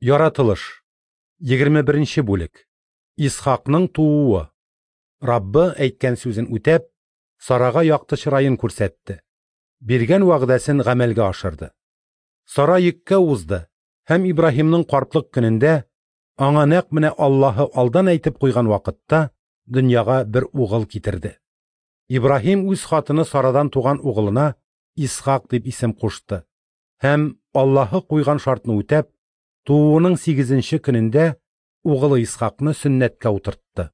Яратылыш. 21 нче бүлек. Исхакның тууы. Раббы, әйткән сүзен үтәп, Сарага якты чыраен күрсәтте. Биргән вәгъдәсен гамәлгә ашырды. Сара йөккә узды һәм Ибраһимның картлык көнендә, аңа нәкъ менә Аллаһы алдан әйтеп куйган вакытта, дөньяга бер угыл китерде. Ибраһим үз хатыны Сарадан туган угылына Исхак дип исем кушты һәм, Аллаһы куйган шартны үтәп, тууының сигезенче көнендә угылы Исхакны сөннәткә утыртты.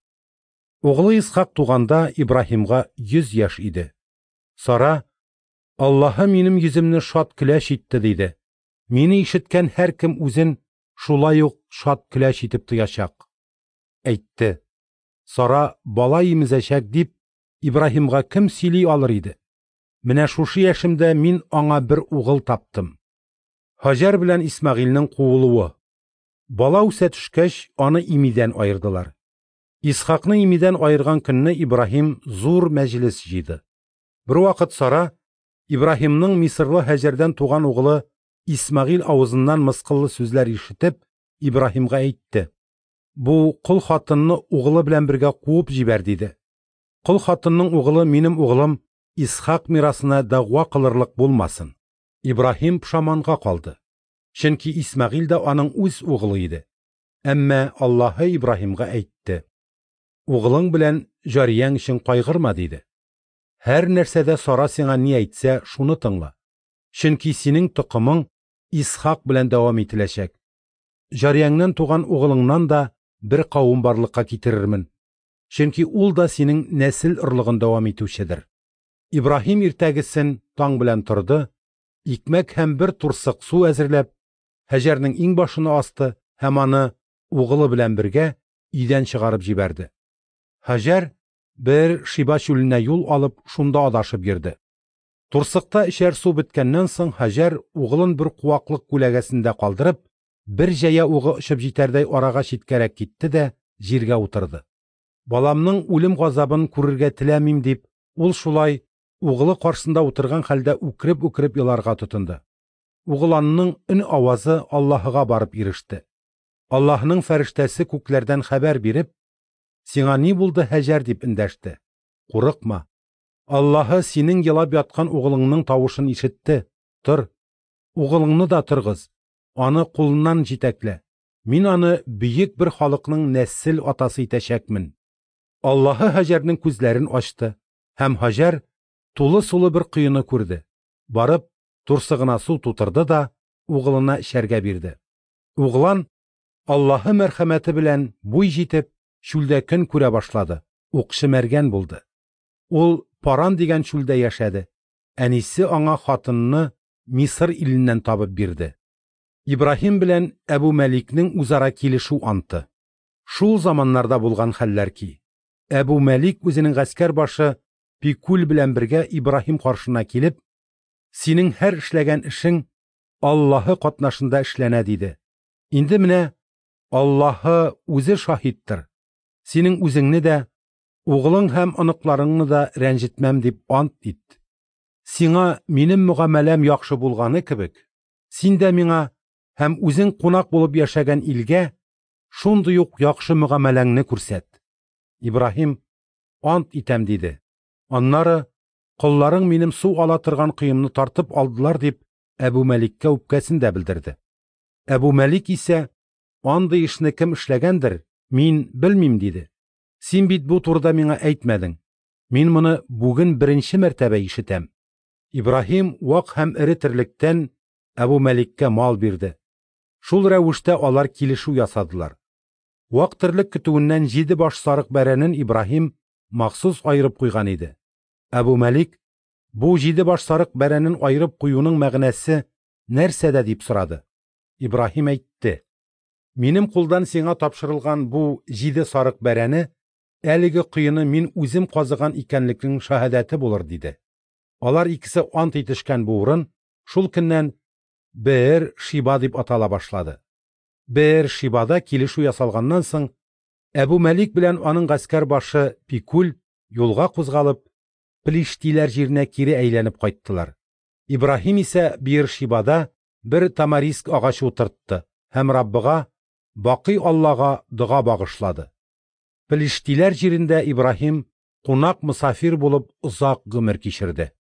Угылы Исхак туганда Ибраһимга 100 яшь иде. Сара, Аллаһы минем йөземне шат көләч итте, диде. Мине ишеткән һәркем үзен шулай ук шат көләч итеп тоячак. Әйтте. Сара бала имезәчәк дип Ибраһимга кем сөйли алыр иде? Менә шушы яшемдә мин аңа бер угыл таптым. Һаҗәр белән Исмәгыйльнең куылуы. Бала үсә төшкәч, аны имидән аердылар. Исхакны имидән аерган көнне Ибраһим зур мәҗлес җыйды. Бервакыт Сара Ибраһимның мисырлы Һаҗәрдән туган угылы Исмәгыйль авызыннан мыскыллы сүзләр ишетеп, Ибраһимга әйтте: "Бу кол хатынны угылы белән бергә куып җибәр", диде. Кол хатынның угылы минем угылым Исхак мирасына дәгъва кылырлык булмасын. Ибраһим пошаманга калды, чөнки Исмәгыйль дә аның үз угылы иде. Әмма Аллаһы Ибраһимга әйтте: Угылың белән җарияң өчен кайгырма, диде. Һәр нәрсәдә Сара сиңа ни әйтсә, шуны тыңла. Чөнки синең токымың Исхак белән дәвам ителәчәк. Җарияңнән туган угылыңнан да бер кавым барлыкка китерермен. Чөнки ул да синең нәсел орлыгын дәвам итүчедер. Ибраһим иртәгесен таң белән торды, икмәк һәм бер турсык су әзерләп, Һәҗәрнең иңбашына асты һәм аны угылы белән бергә өйдән чыгарып җибәрде. Һаҗәр бер Шиба чүленә юл алып, шунда адашып йөрде. Турсыкта эчәр су беткәннән соң Һаҗәр угылын бер куаклык күләгәсендә калдырып, бер җәя угы очып җитәрдәй арага читкәрәк китте дә җиргә утырды. Баламның үлем газабын күрергә теләмим дип, ул шулай угылы каршысында утырган хәлдә үкереп-үкереп еларга тотынды. Угыланның өн авазы Аллаһыга барып иреште. Аллаһының фәрештәсе күкләрдән хәбәр биреп, Сиңа ни булды, Һәҗәр дип эндәште. Курыкма. Аллаһы синең елап яткан угылыңның тавышын ишетте. Тор. Угылыңны да торгыз. Аны кулыннан җитәклә. Мин аны бөек бер халыкның нәсел атасы итәчәкмен. Аллаһы Һаҗәрнең күзләрен ачты, һәм Һаҗәр тулы сулы бер коены күрде. Барып, турсыгына су тутырды да угылына эчәргә бирде. Углан Аллаһы мәрхәмәте белән буй җитеп, чүлдә көн күрә башлады, укчы мәргән булды. Ул Паран дигән чүлдә яшәде. Әнисе аңа хатынны Мисыр иленнән табып бирде. Ибраһим белән Әбу Мәликнең үзара килешү анты. Шул заманнарда булган хәлләр ки, Әбу Мәлик үзенең гаскәр башы Пикүл белән бергә Ибраһим каршына килеп, Синең һәр эшләгән эшең Аллаһы катнашында эшләнә, диде. Инде менә Аллаһы үзе шаһиттыр. Синең үзеңне дә, угылың һәм оныкларыңны да рәнҗетмәм дип ант ит. Сиңа минем мөгамәләм яхшы булганы кебек, син дә миңа һәм үзең кунак булып яшәгән илгә шундый ук яхшы мөгамәләңне күрсәт. Ибраһим, ант итәм, диде. Аннары, колларың минем су ала торган коемны тартып алдылар, дип, Әбу Мәликкә үпкәсен дә белдерде. Әбу Мәлик исә, андый эшне кем эшләгәндер, мин белмим, диде. Син бит бу турыда миңа әйтмәдең. Мин моны бүген беренче мәртәбә ишетәм. Ибраһим вак һәм эре терлектән Әбу Мәликкә мал бирде. Шул рәвештә алар килешү ясадылар. Вак терлек көтүеннән җиде баш сарык бәрәнен Ибраһим махсус аерып куйган иде. Әбу Мәлик, бу җиде баш сарык бәрәнен аерып куюның мәгънәсе нәрсәдә дип сорады. Ибраһим әйтте: Минем кулдан сиңа тапшырылган бу җиде сарык бәрәне әлеге коены мин үзем казыган икәнлекнең шаһәдәте булыр, диде. Алар икесе ант итешкән бу урын шул көннән Беэр Шиба дип атала башлады. Беэр Шибада килешү ясалганнан соң, Әбу Мәлик белән аның гаскәр башы Пикүл юлга кузгалып, Плиштиләр җиренә кире әйләнеп кайттылар. Ибраһим исә Беэр Шибада бер тамариск агачы утыртты. һәм Раббыга, Бакый Аллага дога багышлады. Пелиштиләр җирендә Ибраһим кунак-мосафир булып озак гомер кичерде.